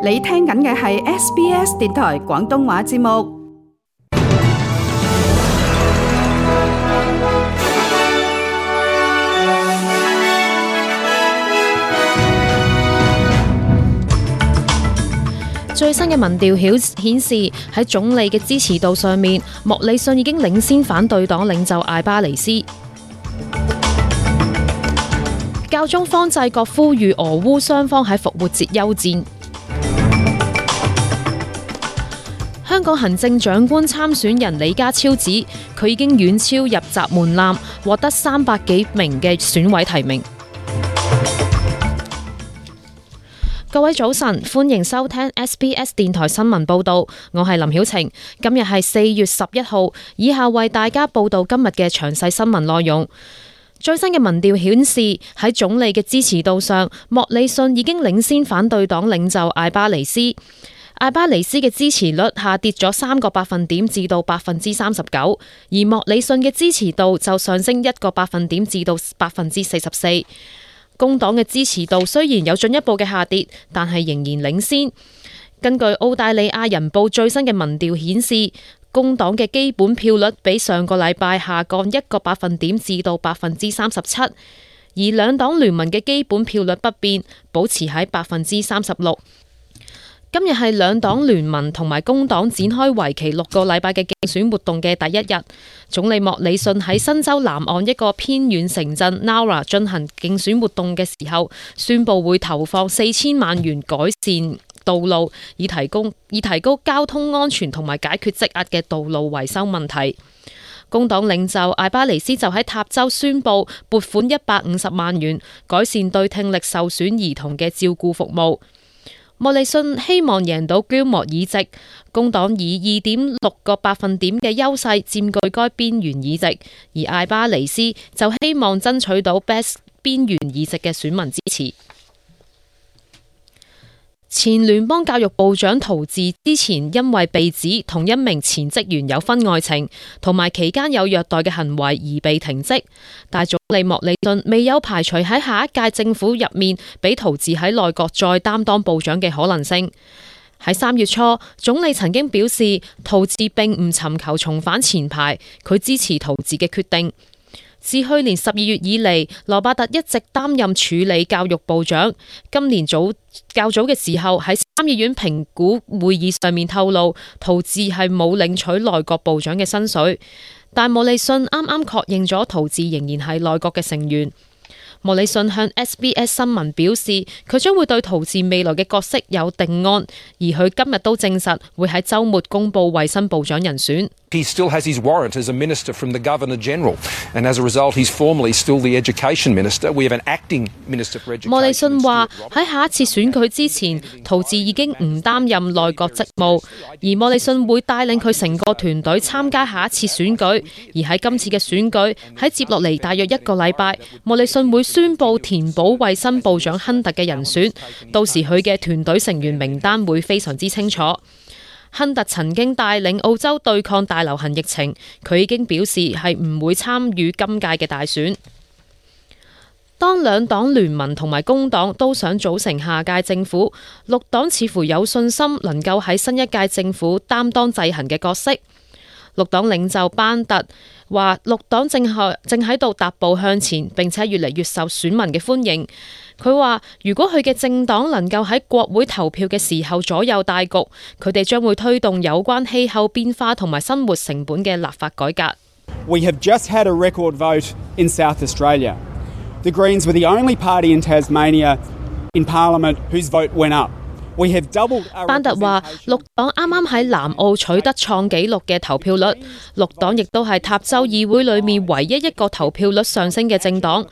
你聽緊嘅係 SBS 電台廣東話節目。最新嘅民調顯示，喺總理嘅支持度上面，莫里遜已經領先反對黨領袖艾巴尼斯。教宗方濟各呼籲俄烏雙方喺復活節休戰。香港行政長官參選人李家超指，佢已經遠超入閘門檻，獲得300幾名嘅選委提名。各位早晨，歡迎收聽 SBS 電台新聞報道，我係林曉晴。今日係4月11號，以下為大家報道今日嘅詳細新聞內容。最新嘅民調顯示，喺總理嘅支持度上，莫里遜已經領先反對黨領袖艾巴尼斯。艾巴尼斯嘅支持率下跌咗3個百分點至到 39%， 而莫里遜嘅支持度就上升1個百分點至到 44%。工黨嘅支持度雖然有進一步嘅下跌，但係仍然領先。根據澳大利亞人報最新嘅民調顯示，工黨嘅基本票率比上個禮拜下降1個百分點至到 37%， 而兩黨聯盟嘅基本票率不變，保持喺 36%。今日係兩黨聯盟同埋工黨展開為期6個禮拜嘅競選活動嘅第一日。總理莫里遜喺新州南岸一個偏遠城鎮 Nowra 進行競選活動嘅時候，宣布會投放4000萬元改善道路，以提高交通安全同埋解決積壓嘅道路維修問題。工黨領袖艾巴尼斯就喺塔州宣布撥款150萬元，改善對聽力受損兒童嘅照顧服務。莫里遜希望贏到居莫議席，工黨以 2.6 個百分點嘅優勢佔據該邊緣議席，而艾巴尼斯就希望爭取到 Best 邊緣議席嘅選民支持。前聯邦教育部長陶治之前因為被指同一名前職員有婚外情，同埋期間有虐待嘅行為而被停職，但總理莫里遜未有排除喺下一屆政府入面俾陶治喺內閣再擔當部長嘅可能性。喺3月初，總理曾經表示陶治並唔尋求重返前排，佢支持陶治嘅決定。自去年12月以嚟，羅伯特一直擔任處理教育部長。今年較早嘅時候，喺參議院評估會議上面透露，陶治係冇領取內閣部長嘅薪水。但莫里遜啱啱確認咗陶治仍然係內閣嘅成員。莫里遜向 SBS 新聞表示，佢將會對陶治未來嘅角色有定案，而佢今日都證實會喺週末公布衛生部長人選。He still has his warrant as a minister from the Governor General, and as a result, he's formally still the Education Minister. We have an acting Minister for Education. 莫里遜話喺下一次選舉之前，陶治已經唔擔任內閣職務，而莫里遜會帶領佢成個團隊參加下一次選舉。而喺今次嘅選舉，喺接落嚟大約1個禮拜，莫里遜會宣布填補衛生部長亨特嘅人選，到時佢嘅團隊成員名單會非常之清楚。亨特曾經帶領澳洲對抗大流行疫情，佢已經表示係唔會參與今屆嘅大選。當兩黨聯盟同埋工黨都想組成下屆政府，綠黨似乎有信心能夠喺新一屆政府擔當制衡嘅角色。綠黨領袖班特話，綠黨正喺度踏步向前，並且越嚟越受選民嘅歡迎。佢話，如果佢嘅政黨能夠喺國會投票嘅時候左右大局，佢哋將會推動有關氣候變化同埋生活成本嘅立法改革。We have just had a record vote in South Australia. The Greens were the only party in Tasmania in Parliament whose vote went up. 班特話，綠黨啱啱喺南澳取得創紀錄嘅投票率，綠黨亦都係塔州議會裏面唯一一個投票率上升嘅政黨。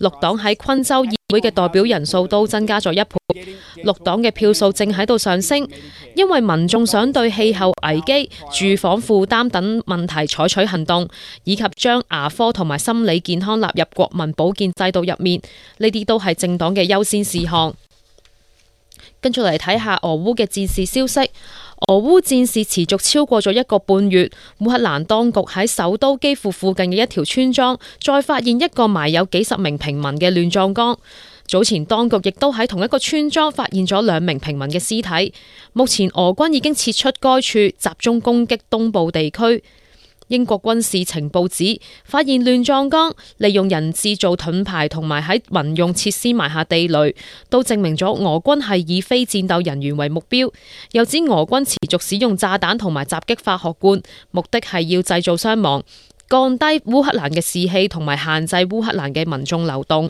綠黨喺昆州議會嘅代表人數都增加咗1倍。綠黨嘅票數正喺度上升，因為民眾想對氣候危機、住房負擔等問題採取行動，以及將牙科同埋心理健康納入國民保健制度入面，呢啲都係政黨嘅優先事項。跟住嚟睇下俄烏嘅戰事消息。俄烏戰事持續超過咗1個半月，烏克蘭當局喺首都基輔附近嘅一條村莊，再發現一個埋有幾十名平民嘅亂葬崗。早前當局亦都喺同一個村莊發現咗2名平民嘅屍體。目前俄軍已經撤出該處，集中攻擊東部地區。英國軍事情報指，發現亂葬崗利用人質做盾牌，同埋喺民用設施埋下地雷，都證明咗俄軍係以非戰鬥人員為目標。又指俄軍持續使用炸彈同埋襲擊化學罐，目的係要製造傷亡，降低烏克蘭嘅士氣，同埋限制烏克蘭嘅民眾流動。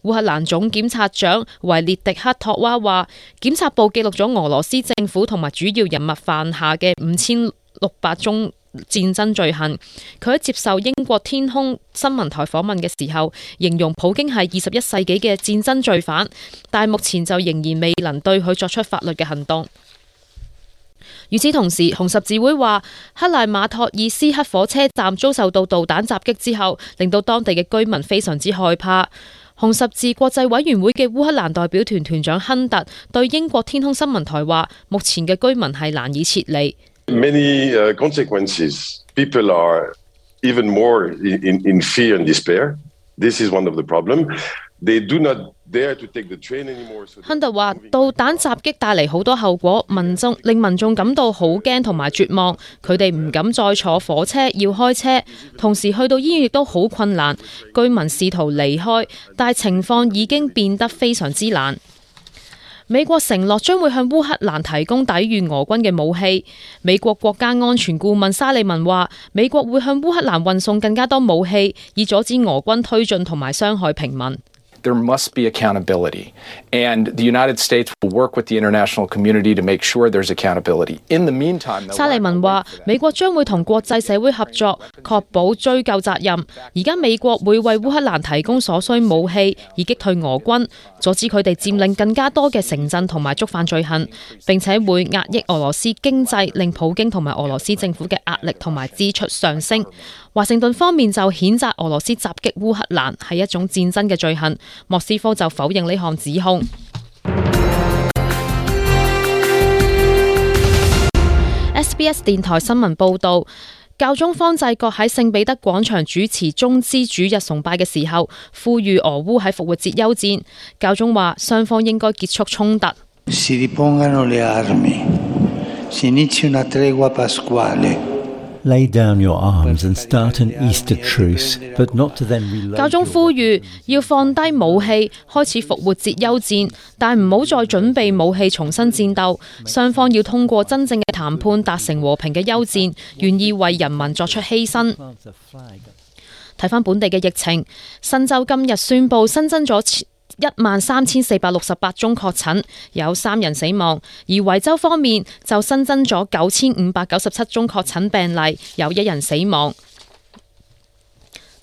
烏克蘭總檢察長維列迪克托娃話，檢察部記錄咗俄羅斯政府同埋主要人物犯下嘅5600宗戰爭罪行。佢喺接受英國天空新聞台訪問嘅時候，形容普京係21世紀嘅戰爭罪犯，但目前就仍然未能對佢作出法律嘅行動。與此同時，紅十字會話，克賴馬托爾斯克火車站遭受到導彈襲擊之後，令到當地嘅居民非常之害怕。紅十字國際委員會嘅烏克蘭代表團團長亨特對英國天空新聞台話，目前嘅居民係難以撤離。Many consequences. People are even more in fear and despair. This is one of the problems. They do not dare to take the train anymore. 亨特話，導彈襲擊帶嚟好多後果，令民眾感到好驚同埋絕望，佢哋唔敢再坐火車，要開車，同時去到醫院亦都好困難。居民試圖離開，但情況已經變得非常之難。美國承諾將會向烏克蘭提供抵禦俄軍嘅武器。美國國家安全顧問沙利文話，美國會向烏克蘭運送更加多武器，以阻止俄軍推進同埋傷害平民。There must be accountability, and the United States will work with the international community to make sure there's accountability. In the meantime, 沙利文話，美國將會同國際社會合作，確保追究責任。而家美國會為烏克蘭提供所需武器，以擊退俄軍，阻止佢哋佔領更加多嘅城鎮同埋觸犯罪行，並且會壓抑俄羅斯經濟，令普京同埋俄羅斯政府嘅壓力同埋支出上升。華盛頓方面就譴責俄羅斯襲擊烏克蘭係一種戰爭嘅罪行，莫斯科就否認呢項指控。SBS 電台新聞報導，教宗方濟各喺聖彼得廣場主持棕枝主日崇拜嘅時候，呼籲俄烏喺復活節休戰。教宗話，雙方應該結束衝突。Lay down your arms and start an Easter truce, but not to then reload. 教宗呼籲要放低武器，開始復活節休戰，但唔好再準備武器重新戰鬥。雙方要通過真正嘅談判達成和平嘅休戰，願意為人民作出犧牲。睇返本地嘅疫情，新州今日宣布新增咗13468宗確診，有3人死亡；而維州方面就新增咗9597宗確診病例，有1人死亡。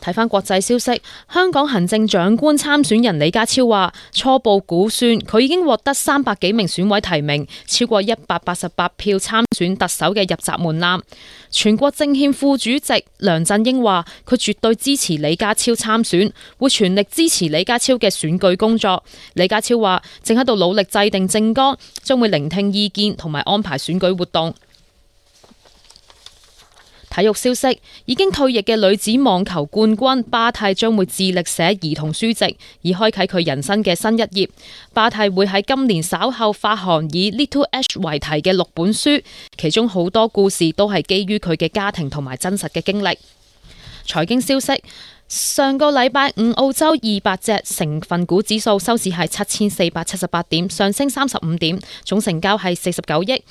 睇返國際消息，香港行政長官參選人李家超話，初步估算佢已經獲得300幾名選委提名，超過188票參選特首嘅入閘門檻。全國政協副主席梁振英話，佢絕對支持李家超參選，會全力支持李家超嘅選舉工作。李家超話，正喺度努力制定政綱，將會聆聽意見同埋安排選舉活動。體育消息，已經退役嘅女子網球冠軍巴蒂將會致力寫兒童書籍，以開啟佢人生嘅新一頁。巴蒂會喺今年稍後發行以 Little Ash 為題嘅6本書，其中好多故事都係基於佢嘅家庭同埋真實嘅經歷。財經消息，上個禮拜五澳洲200隻成分股指數收市係7478點，上升35點，總成交係49億。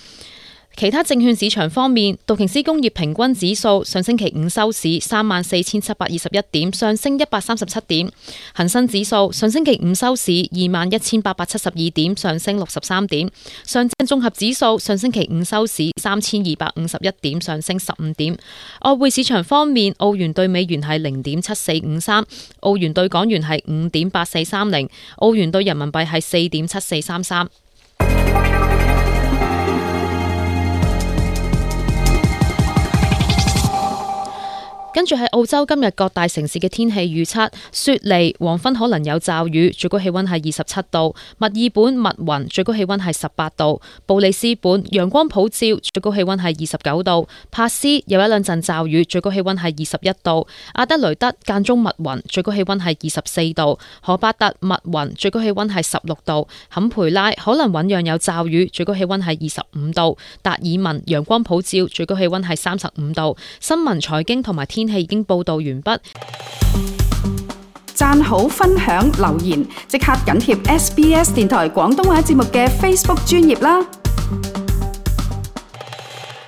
其他證券市場方面，道瓊斯工業平均指數上星期五收市34721點，上升137點；恒生指數上星期五收市21872點，上升63點；上證綜合指數上星期五收市3251點，上升15點。外匯市場方面，澳元對美元係0.7453，澳元對港元係5.8430，澳元對人民幣係4.7433。跟住喺澳洲今日各大城市嘅天氣預測：雪梨黃昏可能有驟雨，最高氣溫係27度；墨爾本密雲，最高氣溫係18度；布里斯本陽光普照，最高氣溫係29度；帕斯有一兩陣驟雨，最高氣溫係21度；阿德雷德間中密雲，最高氣溫係24度；荷巴特密雲，最高氣溫係16度；坎培拉可能醞釀有驟雨，最高氣溫係25度；達爾文陽光普照，最高氣溫係35度。新聞、財經同埋天氣已經報道完畢。讚好、分享、留言，即刻緊貼SBS 電台廣東話節目嘅 Facebook 專頁啦！